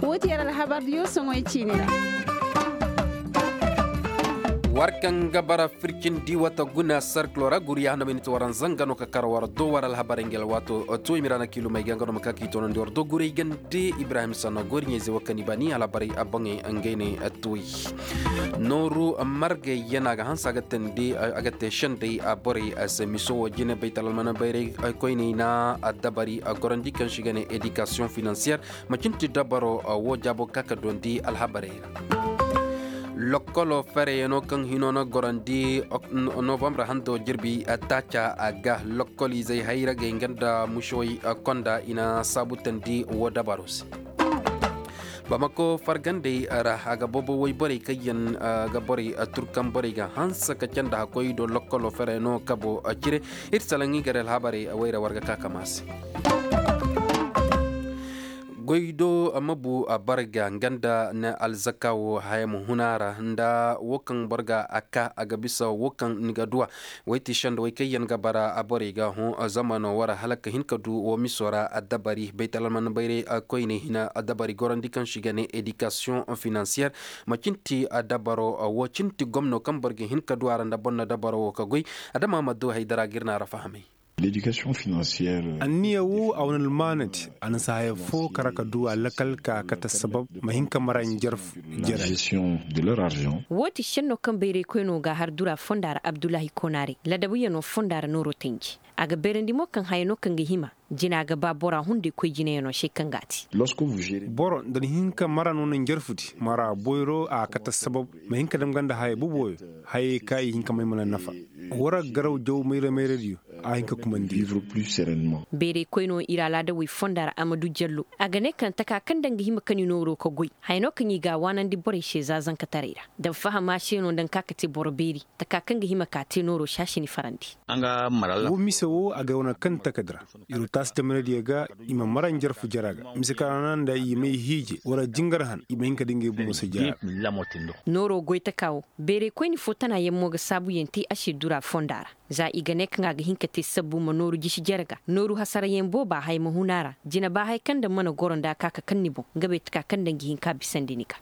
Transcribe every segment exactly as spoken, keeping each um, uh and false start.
Wo ti yar alhabar diyo soŋoy ciini ra. War kaŋ ga bara fircin di wata guna sarkilo ra guriya handa miniti waranza nga no ka kar war do war alhabarey nga alwaato. Tuwey mira na kiilumey ga nga no ma ka ka i toonandi war do guray gande ibrahim sanno gori ɲayze wo kaŋ i ba ni alhabarey a boŋey ngey ne. Tuwey nooru margey yana ga hanse a ga teendi a ga te sendey borey se miso wo jine baytal almana bayray koyney na dabari gorandi kaŋ si ga ne edikasiyoŋ finansiyer. Macin ti dabaro wo jaabo ka ka dondi alhabarey ra. Lokkolo fereyaŋo kaŋ hino na gorandi novambre hando jirbi taaca a ga lokkolizey hayragey nga nda mušewey konda i na saabu teendi wo dabaro se. Bamako fargandey ra a ga boobo woy borey kaŋ yaŋ ga borey turkan borey ga hanse ka candi hakkoy do lokkolo fereyaŋo kabo cire. Ir salaŋ i gar alhabarey wayra war ga ka kama se. Goy do ma bu a barga nga nda ni alzaka wo haya ma huna ra nda wo kaŋ boro ga a ka a ga bisa wo kaŋ ni ga duwa. Way ti sendawey kaŋ yaŋ ga bara a borey ga hõ zamano wara hala ka hin ka du wo miso ra addabari baytal alman bayray koyne hina addabari gorandi kaŋ si ga ne edikasiyoŋ finansiyer. Ma cin ti addabaro wo cin ti gomno kaŋ boro ga hin ka du a ra nda boro na dabaro wo ka goy. Adama ma du haydara ga ir na a ra fahamay. Anniya wo a wane almaanadi a na si haya fo kara ka du a lakal ka kate sabab ma hin ka mara njarfu. Jere. Wo ti senno kaŋ bayray koyno ga har dura fonda ra abdullahi konare ladabuyaŋo fonda ra nooro tanji. A ga bayrandi mo kaŋ haya no kaŋ ga hima jina ga ba bora hunday koy jinayaŋo se kaŋ ga a te. Boro nda ni hin ka mara no na njarfudi mara boyro a kate sabab ma hin ka dam ganda haya boboyo. Hayey ka i hin ka may mana nafa. Wara garaw jaw mayra-mayradiyo a hin ka kumandi. Bayray koyno ir alaada way fonda ra a ma du jallo a ga ne kaŋ taka kaŋ daŋ ga hima ka ni nooro ka goy. Haya no kaŋ i ga a waanandi borey se za zankataray ra daŋ fahama se no daŋ ka ka te boro beeri. Taka kaŋ ga hima ka te nooro se a si ni farandi. Wo mise wo a ga wane kaŋ takadi ra. Iro taasi tamanadiyo ga i ma mara njarfu jara ga mise kaŋ ra na nda i may hiije wala jingar han i ma hin ka da ngey bomo se jara. Nooro goy taka wo bayray koyni fo tana yaŋ mo ga saabuyaŋ te a se dura fonda ra. Za i ga ne kaŋ a ga hin ka te sabbu ma nooru jisi jere ga nooru hasarayaŋ booba haya ma hun a ra. Jina ba haya kaŋ daŋ mana goro nda a ka ka kaŋ ni boŋ nga bay taka kaŋ daŋ ga hin ka bisandi ni ga.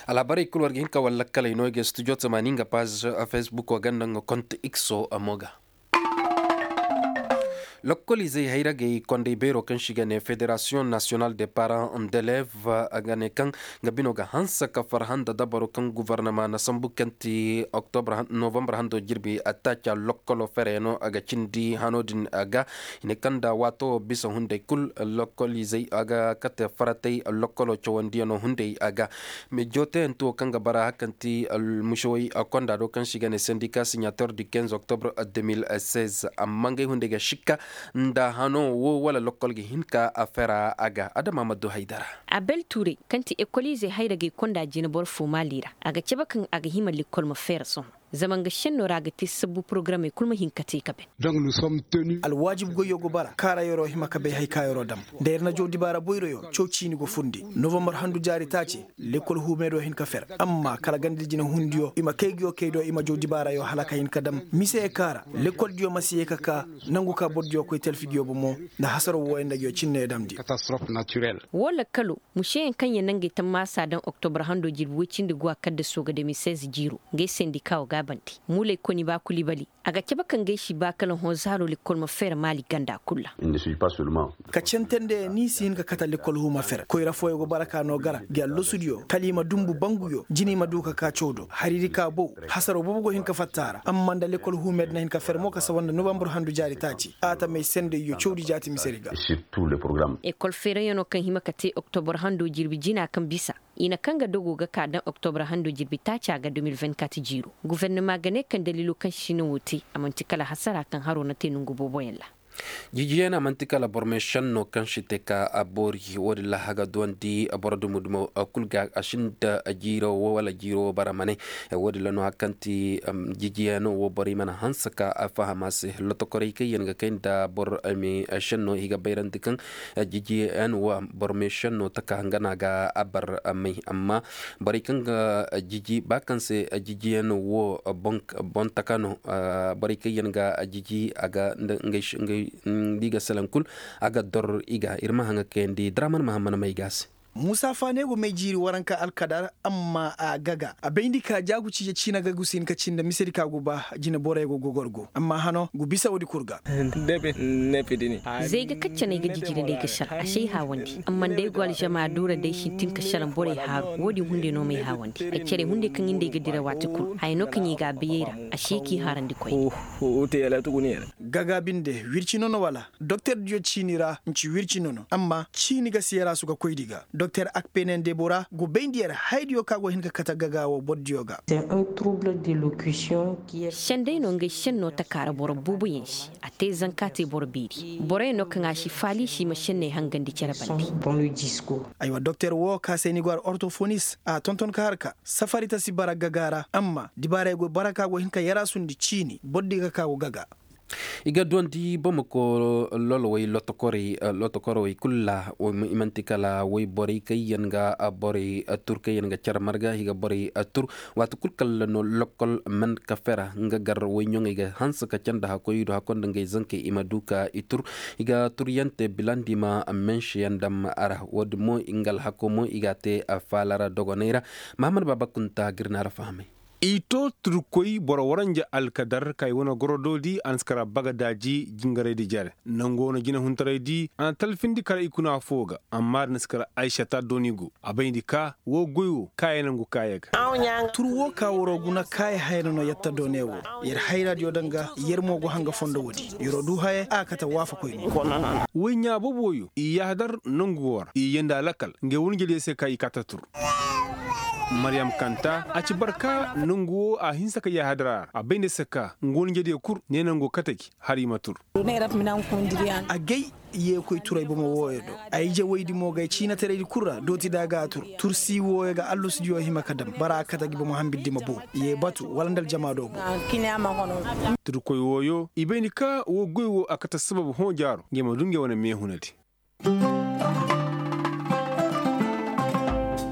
Alhabarey kulu war ga hin ka war lakkaley no i ga studio tamaani nga paz facebook wo ganda nga kont x o mo ga. Lokkolizey hayragey kondey beero kaŋ si ga ne federasiyoŋ nasiyonal de paran d'elev a ga ne kaŋ nga bino ga hanse ka farhã nda dabaro kaŋ guvarnama na sambu kaŋ ti oktobra novambar hando jirbi attaaca lokkolo fereno a ga cindi hano din a ga. I ne kaŋ nda waato wo bisa hunday kul lokkolizey a ga kate faratay lokkolo cawandiyaŋo hunday a ga. Mejoteyanti wo kaŋ ga bara hakanti almušawey konda do kaŋ si ga ne sendika sinyator di kenz oktobre. Amma ngey hunday ga sikka nda hano wo wala lokkol ga hin ka a fera a ga adama ma du haydara. Abel tuurey kaŋ ti ekoliizey hayra gay konda jina boro fo maali ra a ga cabe kaŋ a ga hima lekkol ma feera sohõ. Zama nga šenno ra a ga te sabbu porogaramey kul ma hin ka te ka ben. Alwaajib goyyo go bara kaara yer'o hima ka bay hay ka yer'o dam. Da yer na jaw dibaara boyroyo caw ciini go fundi novambar handu jaari taaci. Lekkol huumeedo hin ka fer amma kala ganda jina hundiyo i ma kay nguyo kay do i ma jaw dibaarayo hala ka hin ka dam mise ye kaara. Lekkoldiyo ma si ye ka ka nangu ka bordiyo koy talfidiyo bomo. Nda hasaro wooyo nda nguyo cinneyo damndi. Woo lakkalo mušeyaŋ kaŋ ya naŋ gay tammaasa daŋ oktobar hando jirbi woy cindi guwa kaddaso ga de mil seize jiiro. Ngey sendika wo gaabandi muuley koni ba kulibali. A ga cabe kaŋ gay si ba kala hõ zaaro lekkol ma fer maali ganda kul ra. Ka cente nda ya ni si hin ka kate lekkol huu ma fer koyra fooyo go bara ka no gara gi allosudiyo kala i ma dumbu banguyo jina i ma du ka ka caw do hariri ka bow. Hasaro boobo go hin ka fatta a ra amma nda lekkol huu me di na hin ka fer mo ka saba nda novambar handu jaari taaci a tamey sendayyo cawdi jaati misedi ga. Ekol feerayaŋo kaŋ hima ka te oktobar hando jirbi jina kaŋ bisa i na kaŋ ga dogo ga ka daŋ oktobar hando jirbi taaca ga deux mille vingt-quatre jiiro. Gufernama ga ne kaŋ daliilo kaŋ si na wo te a man'ti kala hasara kaŋ haro na te nongu booboyaŋ ra. Jijiyaŋ a man'ti kala boro me šenno kaŋ si te ka a boori wo-din ra a ga duwandi boro dumo-dumo kul ga a sinda jiiro wo wala jiiro wo bara ma ne. Wo-din ra no hari kaŋ ti jijiyaŋo wo borey mana hanse ka a faham a se lotokorey kaŋ yaŋ ga kay nda boro me šenno i ga bayrandi kaŋ jijiyaŋ wo boro me šenno taka nga no a ga a bar may amma borey kaŋ ga jiji ba kaŋ se jijiyaŋ wo boŋ taka no. Borey kaŋ yaŋ ga jiji a ga nda i ga salaŋ kul a ga dor i ga ir ma haŋa kayandi draman mahamman may ga se. Musa faane go may jiiri waranka alkadar amma a gaga a bayndi ka jaagu ciije ciina ga gu si hin ka cindi misedi ka gu ba. Jineborey go gogorgo amma hano gu bisa woodi kul ga. Zey ga kaccaney ga jijiri nd'ay ga sar a si ay haawandi amma nd'ay go alžama duura day sintin ka sar borey haaru. Woodin hunday no m'ay haawandi ay care hunday kaŋ nda ay ga dira waati kul haya no kaŋ i ga a bayey ra. A si ay k'i haarandi koyne. Gaga binde wirci nono wala? Doktor diyo ciini ra n'ci wirci nono amma ciini ga seeraasu ga koy di ga doktor akpenen debora go bayndi yer haydiyo kaŋ a go hin ka kate gaga wo boro diyo ga. Senday no ngey senno taka ra boro booboyaŋ se. A te zanka te boro beeri boroyaŋ no kaŋ a si faali se i ma senney hangandi cere bande. Aywa doktor wo ka se ni go ara ortofonis a tonton ka har ka safari ta si bara gaga ra amma dibaarey go bara ka go hin ka yaraasundi ciini boro di ga ka go gaga. I ga duwandi bamako lolowey lotokorey kul ra. I man'ti kala woyborey kaŋ yaŋ ga borey tur kaŋ yaŋ ga care marga i ga borey tur. Waati kul kala no lokol man ka fera nga gar woyɲoŋey ga hanse ka canda hakkoy i du hakkoy nda ngey zankey i ma du ka i tur. I ga turyaŋ te bilandi ma menseyaŋ dam a ra wo- din mo nga alhako mo i g'a te faala ra dogoney ra. Mahamad baaba kunta ga ir na a ra fahamay. I to turkoy boro waranja alkadar ka i wane gorodoodi a na si kara bagadaaji jingaraydi jare nangu wane jinehuntaraydi a na talfindi kara ikuna fo ga. Amma da na si kara aysata dooni go a bayndi ka wo goy wo kaaya nangu kaaya ga. Tur wo ka waro guna kaaya hayra no yatta doone wo. Yer hayraadiyo daŋ ga yer mo go hanga fondo woodi. Yer'o du haya a kate waafakoy no. Woy ɲaa boobo wooyo i yaahadar nangu wo ra i yeendi a lakal ngey wane jediyo se ka i kaate tur. Maryam kanta a ci barka nangu wo a hinsa ka yaahadar a ra a bay nda se ka nga wane njediyo kul ne nangu kate gi har i ma tur. Agay yeekoy turay bomo wooyo do. Ay ije woydi mo gay ciinataraydi kul ra dooti da a ga a tur. Tursi wooyo ga allusudiyo hima ka dam bara a kate gi bomo hambiddi ma booru ye batu wala nda aljama do boŋ. Turkoy wooyo i bay ni ka woo goy woo a kate sabab hõ jaaro ngey ma du ngey wane meehunadi.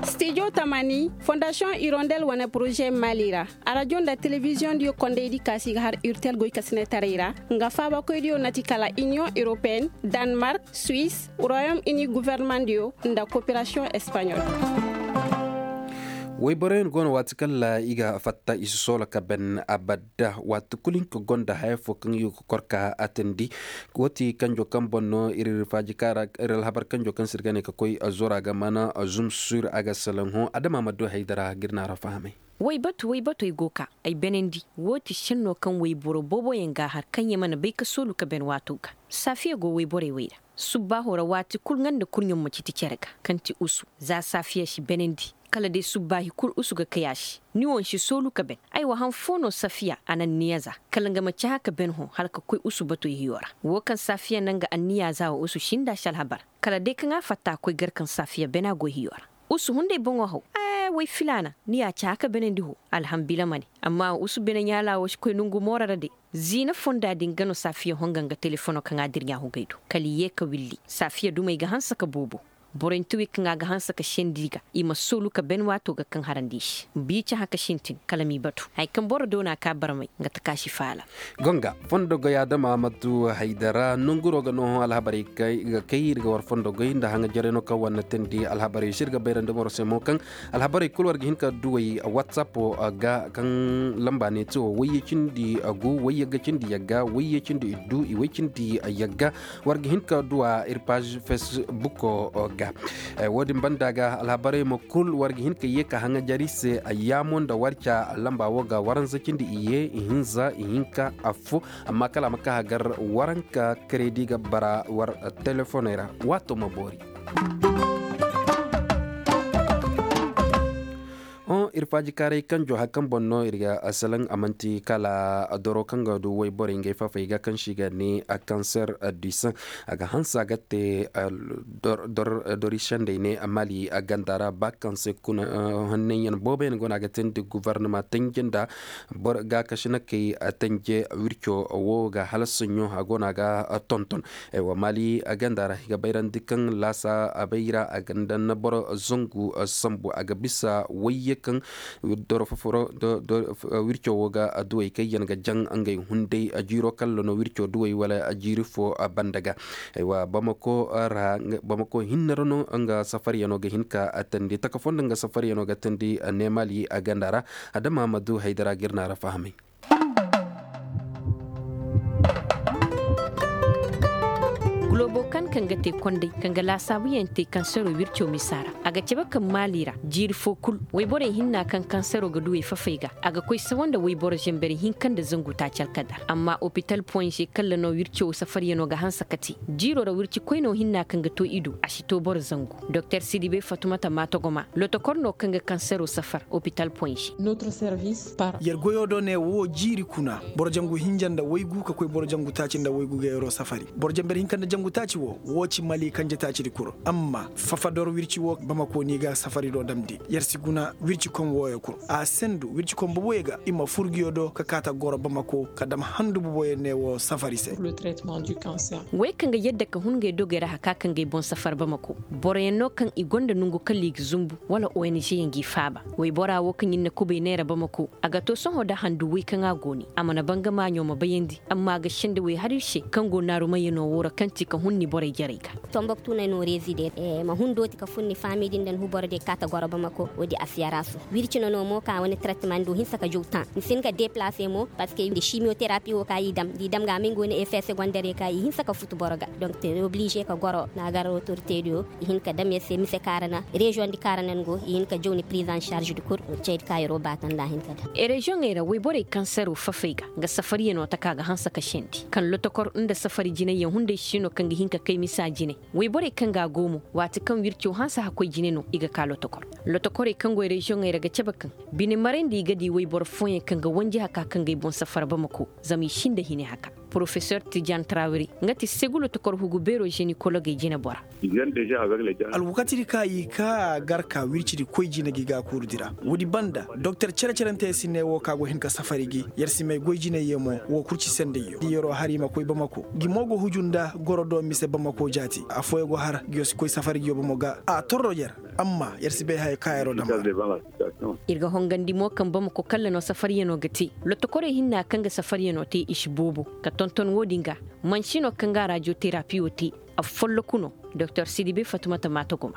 Stijo tamani fondasiyoŋ irondel wane poroze mali ra. Arajo nda telebiziyoŋ diyo kondaydi kaasi ga har urtel goykasinetaray ra. Nga faabakoydiyo na ti kala iniyoŋ europeen, danmark, suwis, royom ini governemandiyo, nda koperasiyoŋ espaɲol. Woyboroyaŋ go no waati kaŋ ra i ga fatta i si soolo ka ben abadda waati kulu hinka gonda haya fo kaŋ i ga kor ka atandi. Woo ti kanjo kaŋ boŋ no ir faaji kaara ir alhabar kanjo kaŋ se ir ga ne ka koy zora ga mana zum sur a ga salaŋ hõ adama ma du haydara ga ir naara fahamay. Woybatu woybatu ay go ka ay benandi. Woo ti senno kaŋ woyboro booboyaŋ ga a har kaŋ ya mana bay ka soolu ka ben waato ga. Saafiya go woyborey wey ra. Subbaaho ra waati kul nga nda kurɲo ma citi cere ga kaŋ ti usu za saafiya si benandi. Kala day subbaahi kul usu ga kay a se. Ni wo n'si soolu ka ben. Aywa han foo no safiya a na anniya za kala nga ma cahã ka ben hõ hala ka koy usu batu ihiyo ra. Woo kaŋ safiya na nga anniya za wa usu sinda si alhabar. Kala day kaŋ a fatta a koy gar kaŋ safiya bena go ihiyo ra. Usu hunday boŋo haw. Ee way filaana ni y'a cahã ka benandi hõ. Alhambila ma ne. Amma usu bene ɲaalaa wo si koy nongu mooro ra de. Ziina fonda din ga no saafiya honga nga telefono kaŋ a dir ɲaahugay do kala i yee ka willi saafiya dumey ga hanse ka boobo. Borey nti wi kaŋ a ga hanse ka sendi ga i ma soolu ka ben waato ga kaŋ harandi i se. Biica hã ka sintin kala m'i batu haya kaŋ boro doona ka barmay nga taka si faala. Gonga fondo goy adama ma du haydara nonguro ga no hõ alhabarey ga kay ir ga war fondo goy nda haŋajarey no kaŋ war na teendi alhabarey se ir ga bayrandi boro se mo kaŋ alhabarey kulu war ga hin ka duwey whatsapp ga kaŋ lamba ne ti wo wayye cindi gu wayye ga cindi yagga wayye cindi iddu i way cindi yagga. War ga hin ka duwa ir page facebook ga. Woo din banda ga alhabarey mo kul war ga hin ka yee ka haŋajar ir se yaamo nda war ca lamba woo ga waranza cindi iyye ihinza ihinka affo. Amma kala a ma ka hagar waranka keredi ga bara war telefoney ra. Waato ma boori. Hõ ir faajikaaray kanjo hari kaŋ boŋ no ir ga salaŋ a man'ti kala doro kaŋ ga du woyborey ngey fafey ga kaŋ se i ga ne kanser du saŋ. A ga hanse a ga te dori sendey ne mali ganda ra ba kaŋ se kuna hannanyaŋ booboyaŋ go no a ga teendi gobornama tenje nda gaakasinakey tenje wirco wo ga hala soɲõ a go no a ga tonton. Mali ganda ra i ga bayrandi kaŋ laasa a bay ra a ga nda na boro zangu sambu a ga bisa wayye kaŋ Wirco wo ga duwey kaŋ yaŋ ga jaŋ ngey hunday jiiro kalla no wirco duwey wala jiiri fo banda ga. Aywa, bamako ra bamako hinne ra no nga safaryano ga hin ka tandi taka fo nda nga safaryano ga tandi neemali ganda ra. Adama ma du haydara ga ir na ra fahamay. Gulobo kan kaŋ ga te kondey kaŋ ga laasaabuyaŋ te kansero wirco misa ra, a ga cabe kaŋ maali ra jiiri fo kul wayborey hinna kaŋ kansero ga duwey fafey ga, a ga koy sawa nda wayboro zanbari hinka nda zangu taaci alkadar. Amma opital poinze kalla no wirco safaryano ga hanse ka te. Jiiro ra wirci koyno hinna kaŋ ga to i do a si to boro zangu. Doktor sidibe fatumata maatogoma lotokor no kaŋ ga kansero safar opital poinze. Yer goyo do ne wo jiiri kuna boro jangu hinja nda waygu ka koy boro jangu taaci nda waygu ga yeroo safari boro janber hinka nda jangu taaci wo. Wo ci mali kanje taacidi kul amma fafador wirci wo bamako no i ga safari do damndi yer si guna wirci kom wooyo kul. A sendu wirci kom boboyo ga i ma fur nguyo do ka kaata goro bamako ka dam handu boboyo ne wo safari se. Wey kaŋ ga yadda ka hun ngey dogey ra haka ka ngey boŋ safar bamako. Boroyaŋ no kaŋ i gonda nongu kala i ga zumbu wala ong yaŋ g'i faaba. Woybora wo kaŋ ir na kubay neera bamako a ga to sohõ nda handu woy kaŋ a go ne a mana banga maaɲo ma bayandi amma a ga senda woy har ir se kaŋ go naarumayyaŋo wo ra kaŋ ti ka hun ni borey jarey ga. Tomboktu no ay no rezide ma hun dooti ka fun ni faami din nda ni huboro de kaata goro bamako woodi a si yara su wirci no no mo ka wane trettement ni du hinsa ka jaw tan ni si hin ka deplace mo parceque nda simiyoterapi wo ka i dam da i dam ga a ma nga wane effet segondere ka i hinsa ka futu boro ga. Donk te oblize ka goro na a gar otorite diyo i hin ka dam yer se mise kaarana reziyoŋ di kaarana ni go i hin ka jaw ni prise en charge di kul. Cey di ka yeroo baatanda hin ka dam. Reziyoŋey ra woyborey kansero fafey ga nga safariyanoo taka ga hanse ka sendi kaŋ lotokor nda safari jinayyaŋ hunday si no kaŋ ga hin ka kay misa jine. Woyborey kaŋ ga a go mo waati kaŋ wirco hanse hakkoy jine no i ga ka lotokor. Lotokorey kaŋ go reziyoŋey ra ga cabe kaŋ bine marayndi i ga di woyboro fooyaŋ kaŋ ga wanji haka kaŋ ga ay boŋ safara bamako zama i sinda hine haka. Porofesor tijan trawri nga ti segu lotokor hugu beeroo zenikologey jinebora. Alwakatidi ka i ka gar ka wircidi koy jine gi ga kuuru dira woodi banda doktor cere-cerante si ne wo ka go hin ka safari gi. Yer si may goy jiney ye mo wo kul ci sendey yo di yeroo har i ma koy bamako gi mo go huju nda goro do mise bamako jaati afooyaŋ go har gi yo si koy safari gi yo bomo ga a torro yer. Amma yer si bay haya ka yeroo dam. Ir ga hongandi mo kaŋ bamako kalla no safariyanoo ga te. Lotokorey hinna kaŋ ga safariyanoo te i si boobo ka tonton wo-din ga. Mansino kaŋ ga rajoterapi wo te. Affolloku no. Doktor sidibe fatumata maata guma.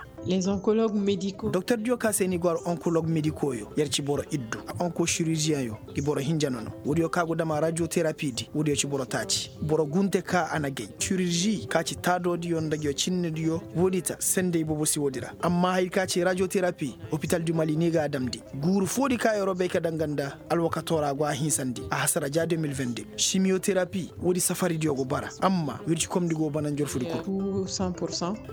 Doktor diyo ka se ni go ar onkolog mediko yo yer ci boro iddu. Onko siriziyeŋ yo. Di boro hinja no no woodiyo ka go dama rajoterapi di woodiyo ci boro taaci. Boro gunte ka a na gay sirizi ka ci taadodiyo nda giyo cinnediyo. Woodi ta sendey boobo si woodi ra amma haya ka ci rajoterapi. Opital du mali ni ga a damndi guuru foodi ka yeroo bay ka danga nda alwakatoo ra go a hinsandi a hasara ja deux mille vingt-deux. Simiyoterapi woodi safaridiyo go bara amma wircikomdi go bana njorfudi kul.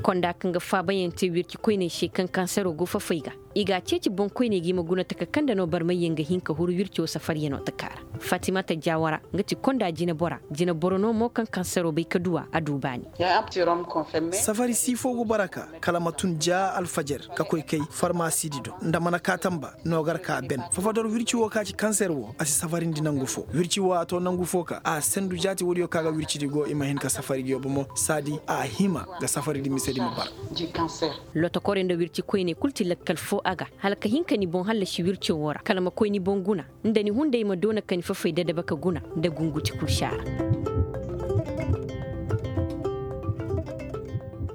Konda kaŋ ga faabayaŋ te wirci koyney se kaŋ kansero go fafey ga. I ga a ceeci boŋkoyney ga i ma guna taka kaŋ nda no barmayyaŋ ga hin ka huru wirco safaryanoo taka ra. Fatimata jawara nga ti konda jinebora jineboro no mo kaŋ kansero bay ka duw'a a du baani. Safari siifo go bara ka kala ma tun ja alfajar ka koy kay farmasidi do nda mana kaatamba no gar ka ben fafador wirci wo ka ci kanser wo a si safarindi nangu fo wirci wo a to nangu fo ka a sendu jaati woodiyo ka ga wircidi go i ma hin ka safari gi yo bomo saadi a hima ga safaridi misedi ma bara. Lotokorey nda wirci koyney kul ti lakkal fo a ga hala ka hin ka ni boŋ hallasi wirco wo ra kala ma koy ni boŋ guna nda ni hunday ma doona ka ni fafay dadaba ka guna nda gunguti kul si a ra.